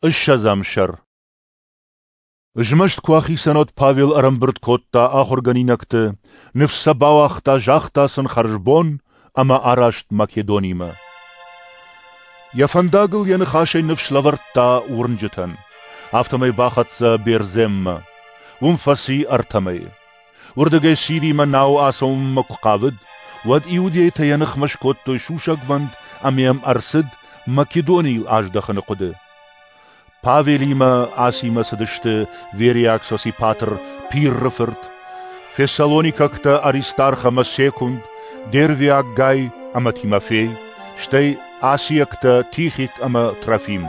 Ссӕдзӕм сӕр. Змӕст куы ахицӕн, уӕд Павел ӕрӕмбырд кодта ахуыргӕнинӕгты, ныфс сӕ бауагъта, загъта сын хӕрзбон ӕмӕ араст Македонимӕ. Йӕ фӕндагыл йӕ ныхасӕй ныфс лӕвӕрдта уырнджытӕн. Афтӕмӕй бахӕццӕ Бердземмӕ. Уым фӕци ӕртӕ мӕйы. Уырдыгӕй Сиримӕ науы ацӕуынмӕ куы хъавыд, уӕд иудейтӕ йӕ ныхмӕ скодтой сусӕгвӕнд ӕмӕ йӕм ӕрцыд Македонийыл аздӕхыны хъуыды. Павелимӕ Асимӕ цыдысты Вериаг Сосипатр Пирры фырт, фессалоникӕгтӕ Аристарх ӕмӕ Секунд, Дервиаг Гай ӕмӕ Тимофей, стӕй асиӕгтӕ Тихик ӕмӕ Трофим.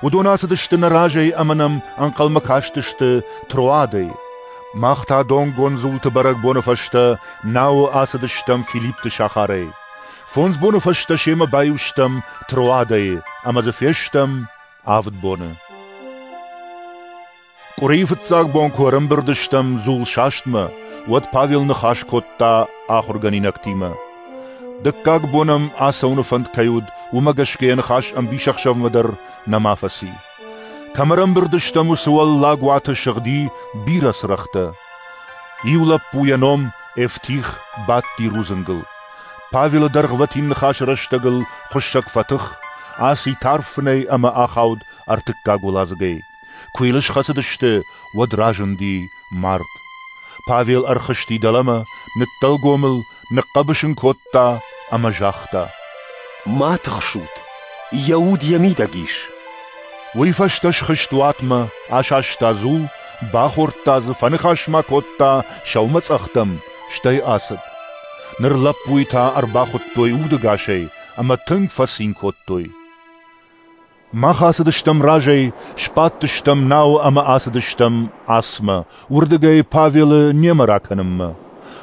Уыдон ацыдысты нӕ разӕй ӕмӕ нӕм ӕнхъӕлмӕ кастысты Троадӕй. Мах та донгонд дзулты бӕрӕгбоны фӕстӕ науы ацыдыстӕм Филиппты сахарӕй. Фондз боны фӕстӕ семӕ баиу стӕм Троадӕйы ӕмӕ дзы фестӕм авд боны. Къуырийы фыццаг бон куы ӕрӕмбырд стӕм дзулсастмӕ, уӕд Павел ныхас кодта ахуыргӕнинӕгтимӕ. Дыккаг бон ӕм ацӕуыны фӕнд кӕй уыд, уымӕ гӕсгӕ йӕ ныхас ӕмбисӕхсӕвмӕ дӕр нӕма фӕци. Кӕм ӕрӕмбырд стӕм, уыцы уӕллаг уаты сыгъди бирӕ цырӕгътӕ. Иу лӕппу йӕ ном Эфтих бадти рудзынгыл. Павелы дӕргъвӕтин ныхасы рӕстӕгыл хуыссӕг фӕтых, аци тарф фынӕй ӕмӕ ахауд ӕртыккаг уӕладзыгӕй. Куы йыл схӕцыдысты, уӕд разынди мард. Павел ӕрхызти дӕлӕмӕ, ныддӕлгом ыл, ныхъхъӕбыс ын кодта ӕмӕ загъта: Ма тыхсут, йӕ уд йӕ мидӕг ис. Уый фӕстӕ схызт уатмӕ, асаста дзул, бахордта дзы, фӕныхас ма кодта сӕумӕцъӕхтӕм, стӕй ацыд. Ныр лӕппуйы та ӕрбахуыдтой удӕгасӕй ӕмӕ тынг фӕцин кодтой. Мах ацыдыстӕм разӕй, сбадтыстӕм науы ӕмӕ ацыдыстӕм Асмӕ, уырдыгӕй Павелы немӕ ракӕнынмӕ.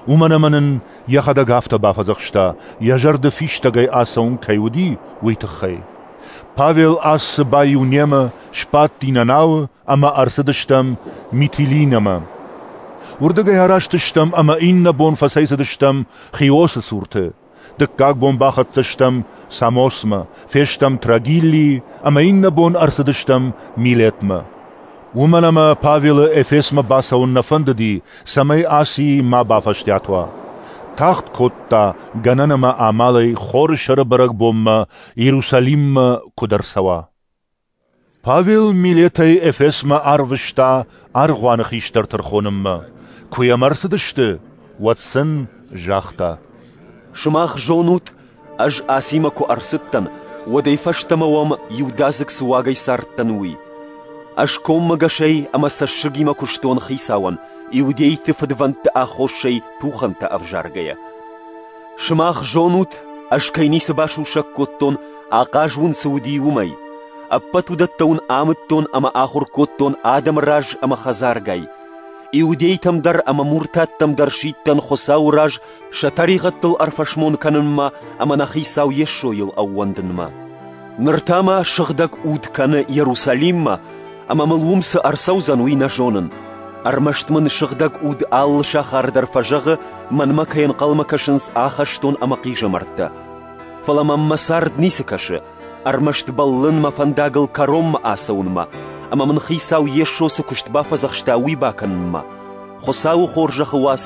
Уымӕн ӕмӕ нын йӕхӕдӕг афтӕ бафӕдзӕхста, йӕ зӕрды фистӕгӕй ацӕуын кӕй уыди, уый тыххӕй. Павел Ассы баиу немӕ, сбадти нӕ науы ӕмӕ ӕрцыдыстӕм Митилинӕмӕ. Уырдыгӕй араст стӕм ӕмӕ иннӕ бон фӕцӕйцыдыстӕм Хиосы цурты. Дыккаг бон бахӕццӕ стӕм Самосмӕ, фестӕм Трагиллийы ӕмӕ иннӕ бон ӕрцыдыстӕм Милетмӕ. Уымӕн ӕмӕ Павелы Эфесмӕ бацӕуын нӕ фӕндыди, цӕмӕй Асийы ма бафӕстиат уа. Тагъд кодта, гӕнӕн ӕмӕ амалӕй Хоры сӕры бӕрӕгбонмӕ Иерусалиммӕ куыд ӕрцӕуа. Павел Милетӕй Эфесмӕ арвыста аргъуаны хистӕрты ӕрхонынмӕ. Куы йӕм ӕрцыдысты, уӕд сын загъта: Сымах зонут, ӕз Асимӕ куы ӕрцыдтӕн, уӕдӕй фӕстӕмӕ уӕм иудадзыг цы уагӕй цардтӕн, уый. Ӕз коммӕгӕсӕй ӕмӕ цӕссыгимӕ куыстон Хицауӕн, иудейты фыдвӕндты аххосӕй тухӕнтӕ ӕвзаргӕйӕ. Сымах зонут, ӕз кӕй ницы басусӕг кодтон, ахъаз уын цы уыди, уымӕй. Ӕппӕт уыдӕттӕ уын амыдтон ӕмӕ ахуыр кодтон адӕмы раз ӕмӕ хӕдзаргай. Иудейтӕм дӕр ӕмӕ муртаттӕм дӕр сидтӕн Хуыцауы раз сӕ тӕригъӕдтыл ӕрфӕсмон кӕнынмӕ ӕмӕ нӕ Хицау Йесойыл ӕууӕндынмӕ. Ныр та мӕ Сыгъдӕг Уд кӕны Иерусалиммӕ, ӕмӕ мыл уым цы ӕрцӕудзӕн, уый нӕ зонын. Ӕрмӕст мын Сыгъдӕг Уд алы сахар дӕр фӕзӕгъы, мӕнмӕ кӕй ӕнхъӕлмӕ кӕсынц ахӕстон ӕмӕ хъизӕмӕрттӕ. Фӕлӕ мӕм мӕ цард ницы кӕсы, ӕрмӕст бӕллын мӕ фӕндагыл кӕронмӕ ацӕуынмӕ, ӕмӕ мын Хицау Йесо цы куыст бафӕдзӕхста, уый бакӕнынмӕ, Хуыцауы хорзӕхы уац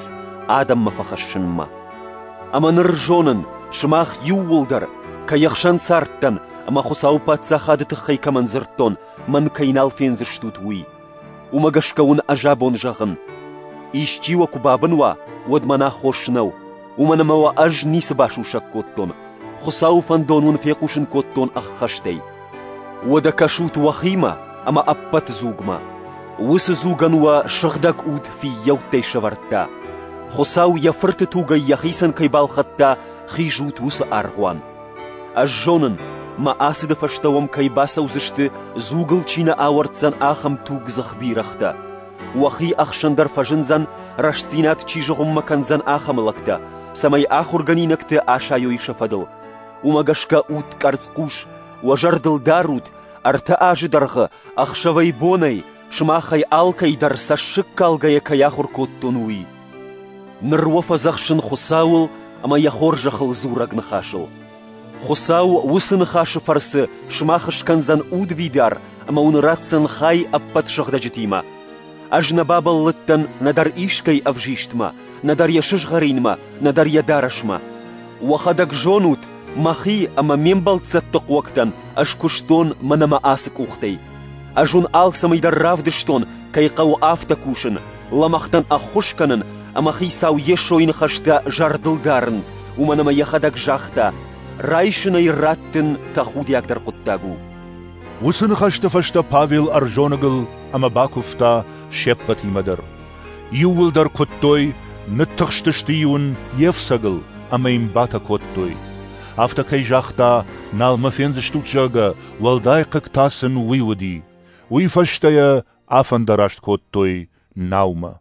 адӕммӕ фӕхӕссынмӕ. Ӕмӕ ныр зонын, сымах иууылдӕр, кӕй ӕхсӕн цардтӕн ӕмӕ Хуыцауы Паддзахады тыххӕй кӕмӕн дзырдтон, мӕн кӕй нал фендзыстут, уый. Уымӕ гӕсгӕ уын ӕз абон зӕгъын: исчи уӕ куы бабын уа, уӕд мӕн аххос нӕу, уымӕн ӕмӕ уӕ ӕз ницы басусӕг кодтон, Хуыцауы фӕндон уын фехъусын кодтон ӕххӕстӕй. Уӕдӕ кӕсут уӕхимӕ ӕмӕ ӕппӕт дзугмӕ. Уыцы дзугӕн уӕ Сыгъдӕг Уд фыййӕуттӕй сӕвӕрдта. Хуыцау йӕ Фырты тугӕй йӕхицӕн кӕй балхӕдта, хизут уыцы аргъуан. Ӕз зонын, мӕ ацыды фӕстӕ уӕм кӕй бацӕудзысты, дзугыл чи нӕ ауӕрддзӕн, ахӕм тугдзых бирӕгътӕ. Уӕхи ӕхсӕн дӕр фӕзындзӕн, рӕстдзинад чи зыгъуыммӕ кӕндзӕн, ахӕм лӕгтӕ, цӕмӕй ахуыргӕнинӕгты асайой сӕ фӕдыл. Уымӕ гӕсгӕ ут къӕрцхъус, уӕ зӕрдыл дарут, ӕртӕ азы дӕргъы, ӕхсӕвӕй-бонӕй, сымахӕй алкӕй дӕр цӕссыгкалгӕйӕ кӕй ахуыр кодтон, уый. Ныр уӕ фӕдзӕхсын Хуыцауыл ӕмӕ йӕ хорзӕхыл дзурӕг ныхасыл. Хуыцау уыцы ныхасы фӕрцы сымах скӕндзӕн удвидар ӕмӕ уын ратдзӕн хай ӕппӕт сыгъдӕджытимӕ. Ӕз нӕ бабӕллыдтӕн нӕдӕр искӕй ӕвзистмӕ, нӕдӕр йӕ сызгъӕринмӕ, нӕдӕр йӕ дарӕсмӕ. Уӕхӕдӕг зонут, мӕхи ӕмӕ ме мбӕлццӕтты хъуӕгтӕн ӕз куыстон мӕнӕ мӕ ацы къухтӕй. Ӕз уын алцӕмӕй дӕр равдыстон, кӕй хъӕуы афтӕ кусын, лӕмӕгътӕн ӕххуыс кӕнын ӕмӕ Хицау Йесойы ныхӕстӕ зӕрдыл дарын, уымӕн ӕмӕ йӕхӕдӕг загъта: райсынӕй раттын тӕхудиагдӕр хъуыддаг у. Уыцы ныхӕсты фӕстӕ Павел ӕрзоныгыл ӕмӕ бакуывта се ппӕтимӕ дӕр. Иууылдӕр куыдтой, ныттыхстысты-иу ын йе фцӕгыл ӕмӕ йын батӕ кодтой. Афтӕ кӕй загъта, нал мӕ фендзыстут, зӕгъгӕ, уӕлдай хъыг та сын уый уыди. Уый фӕстӕ йӕ афӕндараст кодтой наумӕ.